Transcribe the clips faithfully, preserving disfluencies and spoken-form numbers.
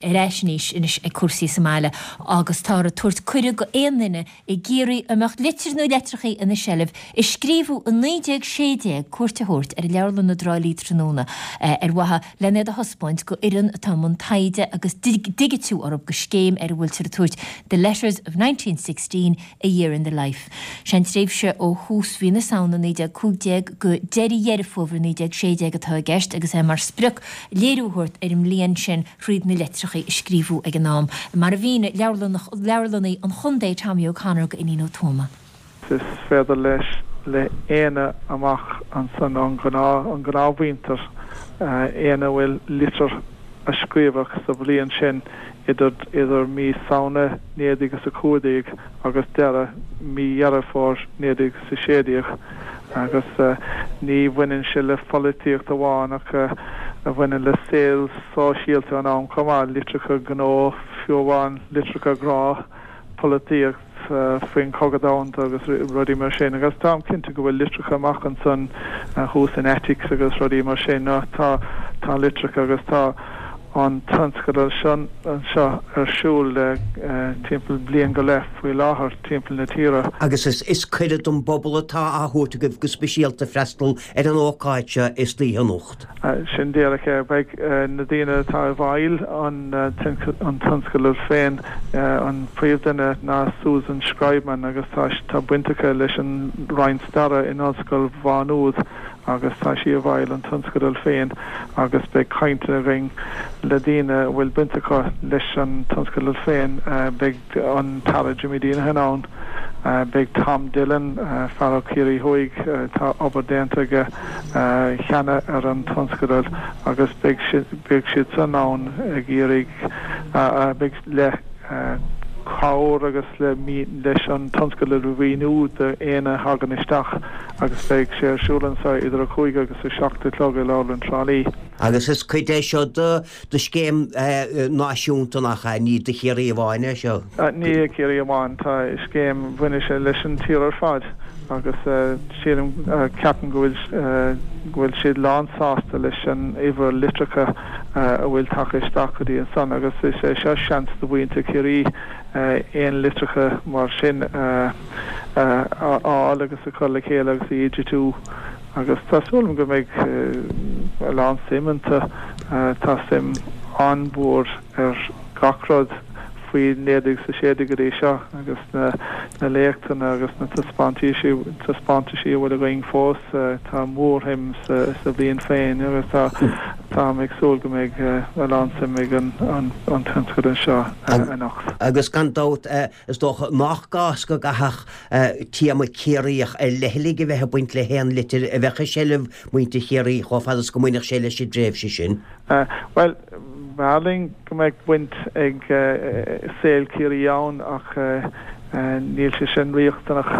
Ar ais anois anois ag cúrsaí sa mbaile agus táthar ag tabhairt cuireadh go aon duine i gCiarraí a mbeadh litir nó litreachaí ina seilbh a scríobhadh i naoi déag sé déag cuairt a thabhairt ar Leabharlann na dTrá Lí tráthnóna ar mhaithe len iad a thaispeáint go fhoireann atá i mbun taighde agus digitiú orthu go scéim ar a bhfuiltear ag tabhairt The Letters of nineteen sixteen, A Year in the Life. Sé an tréimhse ó thús mhí na Samhna naoi déag cúig déag go deireadh Dheireadh Fómhair naoi déag sé déag atá i gceist agus é mar sprioc léiriú a thabhairt ar an mbliain sin thríd na litreacha a scríobhadh ag an am, mar a mhínigh Leabharlannaí an Chontae Tommy O'Connor go Iníon Ó Tuama. Is féidir leis le éinne amach ansan an gnáthmhuintir, éinne a bhfuil litir a scríobhadh sa bhliain sin idir idir mí Samhna naoi déag is a cúig déag agus deireadh mí Dheireadh Fómhair naoi déag is a sé déag. Agus ní bhaineann sé le pholaitíocht amháin ach a bhaineann le saol sóisialta an am chomh maith, litreacha gnó, fiú amháin litreacha grá, polaitíocht faoin Chogadh Domhanda agus rudaí mar sin. Agus táim cinnte go bhfuil litreacha amach ansan thuas in attics agus rudaí mar sin. Tá tá litreacha agus tá an tionscadal seo ar siúl le timpeall bliain go leith faoi láthair timpeall na tíre. Agus is cuireadh don bpobal atá á thabhairt agaibh go speisialta freastal ar an ócáid seo istoíche anocht. Sin díreach é. Beidh na daoine atá i bhfeighil an tionscadail féin, an príomhdhuine ná Susan Schreibman agus tá baint aici leis an Roinn Staire in Ollscoil Mhá Nuad agus tá sí i bhfeighil an tionscadail féin agus beidh caint againn le daoine a bhfuil baint acu leis an tionscadal féin. Beidh an tAire Jimmy Deenihan ann, beidh Tom Dillon, fear ó Chiarraí Thuaidh, tá obair déanta aige cheana ar an tionscadal agus beidh beidh siad san ann ag iarraidh beidh le cabhair agus le leis an tionscadal a mhíniú d'éinne a thagann isteach agus beidh sé ar siúl anseo idir a cúig agus a seacht a chlog i Leabharlann Trá Lí. Agus is cuid é seo de scéim náisiúnta, nach ea? Ní do Chiarraí amháin é seo? Ní do Chiarraí amháin. Tá scéim, bhaineann sé leis an tír ar fad agus sílim, ceapaim go bhfuil go bhfuil siad lán-sásta leis an uimhir litreacha a bhfuil tagtha isteach go dtí ansan agus is é seo seans do mhuintir Chiarraí aon litreacha mar sin a fháil agus a chur le chéile agus a dhigitiú agus tá súil agam go mbeidh a lán suim iontu. Tá suim an-mhór ar gach rud faoi naoi déag is a sé déag go dtí seo agus na na léachtanna agus na taispeántaisí taispeántaisí a bhfuil againn fós, tá mórshuim sa sa bhliain féin agus tá táim ag súil go mbeidh a lán suim ag an an an tionscadal seo anocht. Agus gan dabht is dócha nach gá is go gcaithfeadh téama Ciarraíoch ar leithligh a bheith ag baint le haon litir a bheadh i seilbh muintir Chiarraí chomh fada is go mbainfeadh sé leis an dtréimhse sin. Bhuel, b'fhearr linn go mbeadh baint ag saol Chiarraí ann ach níl sé sin riachtanach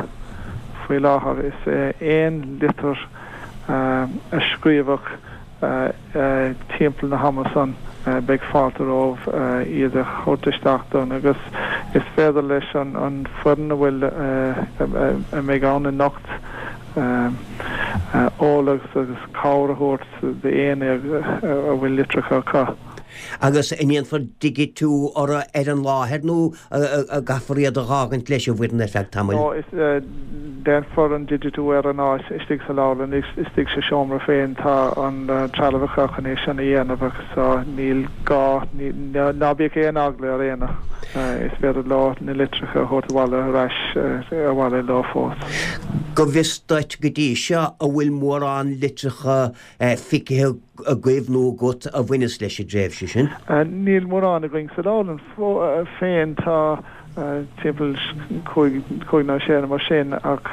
faoi láthair. Is aon litir a scríobhadh timpeall na hama san, beidh fáilte romhaibh iad a thabhairt isteach dúinn agus is féidir leis an foireann a bhfuil a mbeidh ann anocht eolas agus cabhair a thabhairt d'éinne a bhfuil litreacha acu. Agus an ndéanfar digitiú orthu ar an láthair nó an gcaithfear iad a dh'fhágaint leis an bhfoireann ar feadh tamaill? No, is déanfar an digitiú ar an áit istigh sa leabharlann, istigh sa seomra féin. Tá an trealamh acu chun é sin a dhéanamh agus níl gá, ná bíodh aon eagla ar éinne, is féidir leo na litreacha a thabhairt abhaile ar ais abhaile leo fós. Go bhfios duit go dtí seo, an bhfuil mórán litreacha feicthe agaibh nó agat a bhaineas leis an dtréimhse sin? Níl mórán againn sa leabharlann féin, tá timpeall cúig, cúig nó sé nó mar sin ach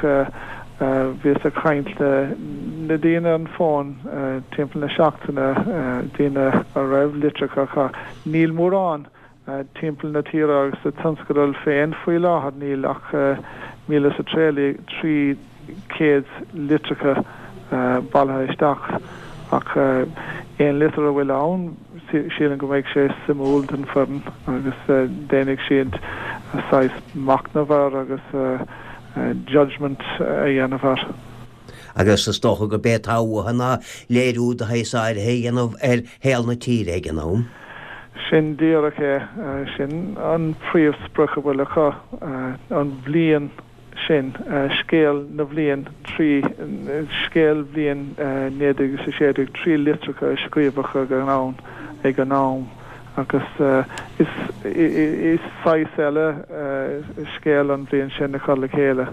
bhíos ag caint le le daoine ar an bhfón timpeall na seachtaine, daoine a raibh litreacha acu. Níl mórán timpeall na tíre agus sa tionscadal féin faoi láthair níl ach míle is a trí chéad litreacha bailithe isteach ach aon litir a bhfuil ann sílim go mbeidh sé suimiúil don foireann agus déanfaidh siad saghas machnamh air agus judgement a dhéanamh air. Agus is dócha gurb é atá uathu ná léiriú de shaghas áirithe a dhéanamh ar shaol na tíre ag an am. Sin díreach é, sin an phríomhsprioc a bhfuil acu, an bhliain sin, scéal na bhliain trí, scéal bhliain naoi déag a sé déag trí litreacha a scríobhadh ag an am, ag an am agus is saghas eile scéal an bhliain sin a chur le chéile.